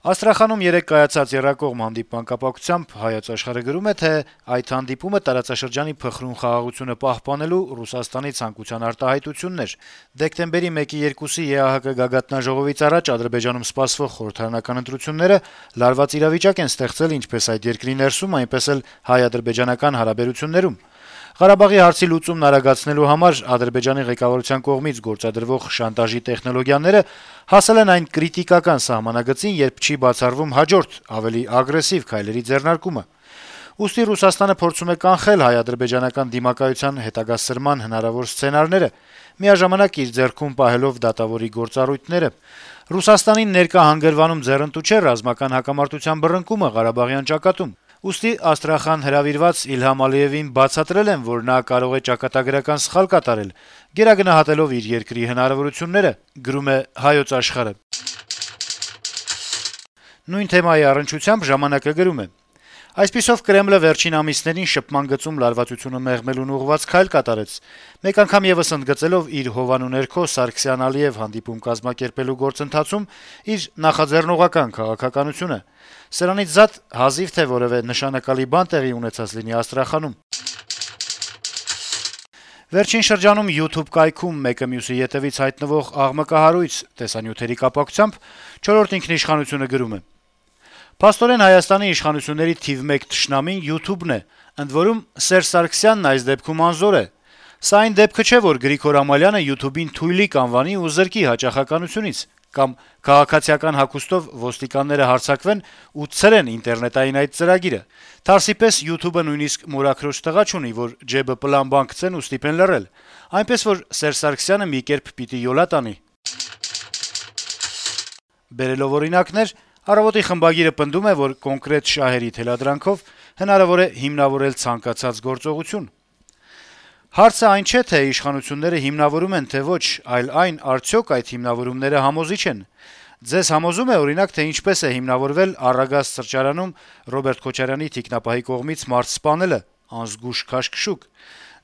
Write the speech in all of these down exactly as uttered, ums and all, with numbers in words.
Աստրախանում երեկ կայացած եռակողմ հանդիպման կապակցությամբ «Հայոց Աշխարհ»-ը գրում է, թե այդ հանդիպումը տարածաշրջանի փխրուն խաղաղությունը պահպանելու Ռուսաստանի ցանկության արտահայտությունն էր։ Դեկտեմբերի մեկի երկուսի ԵԱՀԿ գագաթնաժողովից առաջ Ադրբեջանում սպասվող խորհրդարանական ընտրությունները լարված իրավիճակ են ստեղծել ինչպես այդ երկրի ներսում, այնպես էլ հայ-ադրբեջանական հարաբերություններում։ Ղարաբաղի հարցի լուծումն արագացնելու համար Ադրբեջանի ղեկավարության կողմից գործադրվող շանտաժի տեխնոլոգիաները հասել են այն կրիտիկական սահմանագծին, երբ չի բացառվում հաջորդ, ավելի ագրեսիվ քայլերի ձեռնարկումը։ Ուստի Ռուսաստանը փորձում է կանխել հայ-ադրբեջանական դիմակայության հետագա սրման հնարավոր սցենարները, միաժամանակ իր ձեռքում պահելով դատավորի գործառույթները։ Ռուսաստանին ներկա հանգրվանում ձեռնտու չէ ռազմական հակամարտության բռնկումը Ղարաբաղյան ճակատում։ Ուստի Աստրախան հրավիրված Իլհամ Ալիևին բացատրել են, որ նա կարող է ճակատագրական սխալ կատարել, գերագնահատելով իր երկրի հնարավորությունները, գրում է «Հայոց Աշխարհ»-ը։ Նույն թեմայի առնչությամբ «Ժամանակ»-ը գրում է. - «Այսպիսով Կրեմլը վերջին ամիսներին շփման գծում լարվածությունը մեղմելուն ուղղված քայլ կատարեց, մեկ անգամ եւս ընդգծելով իր հովանու ներքո Սարգսյան-Ալիև հանդիպում կազմակերպելու գործընթացում իր նախաձեռնողական քաղաքականությունը։ Սրանից զատ հազիվ թե որեւէ նշանակալի բան տեղի ունեցած լինի Աստրախանում»։ Վերջին շրջանում YouTube կայքում մեկը մյուսի ետեւից հայտնվող աղմկահարույց տեսանյութերի կապակցությամբ «Չորրորդ ինքնիշխանություն»-ը գրում է. - «Փաստորեն Հայաստանի իշխանությունների թիվ մեկ թշնամին YouTube-ն է, ընդ որում Սերժ Սարգսյանն այս դեպքում անզոր է։ Սա այն դեպքը չէ, որ Գրիգոր Ամալյանը YouTube-ին թույլիկ անվանի ու զրկի հաճախականությունից, կամ քաղաքացիական հագուստով ոստիկանները հարձակվեն ու ցրեն ինտերնետային այդ ծրագիրը։ Թարսի պես YouTube-ը նույնիսկ մորաքրոջ տղա չունի, որ ջեբը պլան բան գցեն ու ստիպեն լռել։ Այնպես որ Սերժ Սարգսյանը մի կերպ պիտի յոլա տանի»։ Բերելով օրինակներ, «Առավոտ»-ի խմբագիրը պնդում է, որ կոնկրետ շահերի թելադրանքով հնարավոր է հիմնավորել ցանկացած գործողություն։ Հարցը այն չէ, թե իշխանությունները հիմնավորում են, թե ոչ, այլ այն, արդյոք այդ հիմնավորումները համոզիչ են։ Ձեզ համոզում է, օրինակ, թե ինչպես է հիմնավորվել Առագաստ սրճարանում Ռոբերտ Քոչարյանի թիկնապահի կողմից մարդ սպանելը, անզգույշ քաշքշուկ։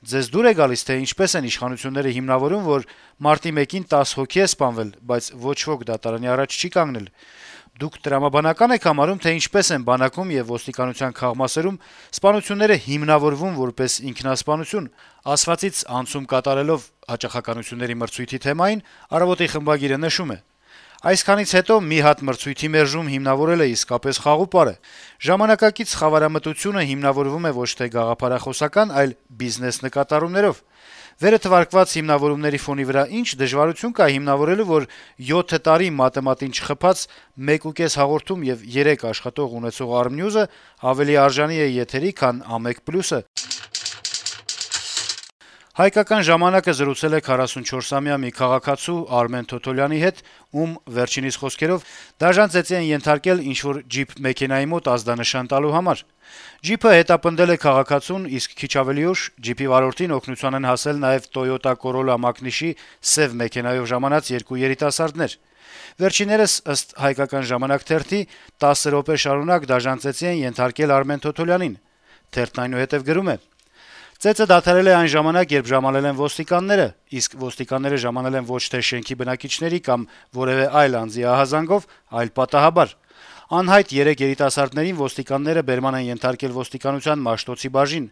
Ձեզ դուր է գալիս, թե ինչպես են իշխանությունները հիմնավորում, որ մարտի մեկին տասը հոգի է սպանվել, բայց ոչ ոք դատարանի առաջ չի կանգնել։ Դուք տրամաբանական եք համարում, թե ինչպես են բանակում եւ ոստիկանության քաղմասերում սպանությունները հիմնավորվում որպես ինքնասպանություն։ Ասվածից անցում կատարելով հաճախականությունների մրցույթի թեմային «Առավոտ»-ի խմբագիրը նշում է. - «Այսքանից հետո մի հատ մրցույթի մերժում հիմնավորելը իսկապես խաղուպար է։ Ժամանակակից խավարամտությունը հիմնավորվում է ոչ թե գաղափարախոսական, այլ բիզնես նկատառումներով։ Վերը թվարկված հիմնավորումների ֆոնի վրա ինչ դժվարություն կա հիմնավորելու, որ յոթ տարի մատեմատին չխփած մեկ ու կես հաղորդում եւ երեք աշխատող ունեցող Armnews-ը ավելի արժանի է եթերի, քան Ամեկ Պլյուսը»։ «Հայկական ժամանակ»-ը զրուցել է քառասունչորսամյա մի քաղաքացու Արմեն Թոթոլյանի հետ, ում վերջինիս խոսքերով դաժան ծեծի են ենթարկել ինչ-որ ջիփ մեքենայի մոտ ազդանշան տալու համար։ Ջիփը հետապնդել է քաղաքացուն, իսկ քիչ ավելի ուշ ջիփի վարորդին օգնության են հասել նաեւ Toyota Corolla մակնիշի սեւ մեքենայով ժամանած երկու երիտասարդներ։ Վերջիններս, ըստ «Հայկական ժամանակ» թերթի, տասը րոպե շարունակ դաժան ծեծի են ենթարկել Արմեն Թոթոլյանին։ Թերթն այնուհետեւ գրում է. - «Ծեծը դադարել է այն ժամանակ, երբ ժամանել են ոստիկանները, իսկ ոստիկանները ժամանել են ոչ թե շենքի բնակիչների կամ որեւէ այլ անձի ահազանգով, այլ պատահաբար։ Անհայտ երեք երիտասարդներին ոստիկանները բերման են ենթարկել ոստիկանության Մաշտոցի բաժին։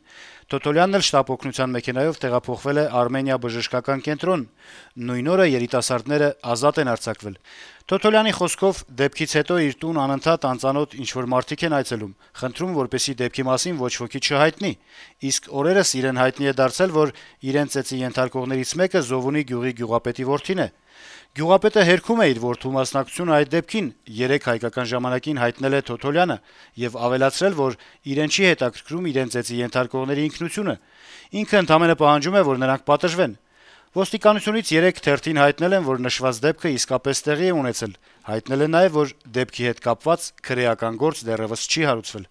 Թոթոլյանն էլ շտապ օգնության մեքենայով տեղափոխվել է Արմենիա բժշկական կենտրոն։ Նույն օրը երիտասարդները ազատ են արձակվել։ Թոթոլյանի խոսքով դեպքից հետո իր տուն անընդհատ անծանոթ ինչ-որ մարդիկ են այցելում, խնդրում, որպեսզի դեպքի մասին ոչ ոքի չհայտնի, իսկ օրերս իրեն հայտնի է դարձել, որ իրեն ծեծի ենթարկողներից մեկը Զովունի գյուղի գյուղապետի որդին է։ Գյուղապետը հերքում է իր որդու մասնակցությունը այդ դեպքին, երեկ «Հայկական ժամանակին» հայտնել է Թոթոլյանը եւ ավելացրել, որ իրեն չի հետաքրքրում իրեն ծեծի ենթարկողների ինքնությունը։ Ինքը ընդամենը պահանջում է, որ նրանք պատժվեն։ Ոստիկանությունից երեկ թերթին հայտնել են, որ նշված դեպքը իսկապես տեղի է ունեցել։ Հայտնել են նաեւ, որ դեպքի հետ կապված քրեական գործ դեռեւս չի հարուցվել»։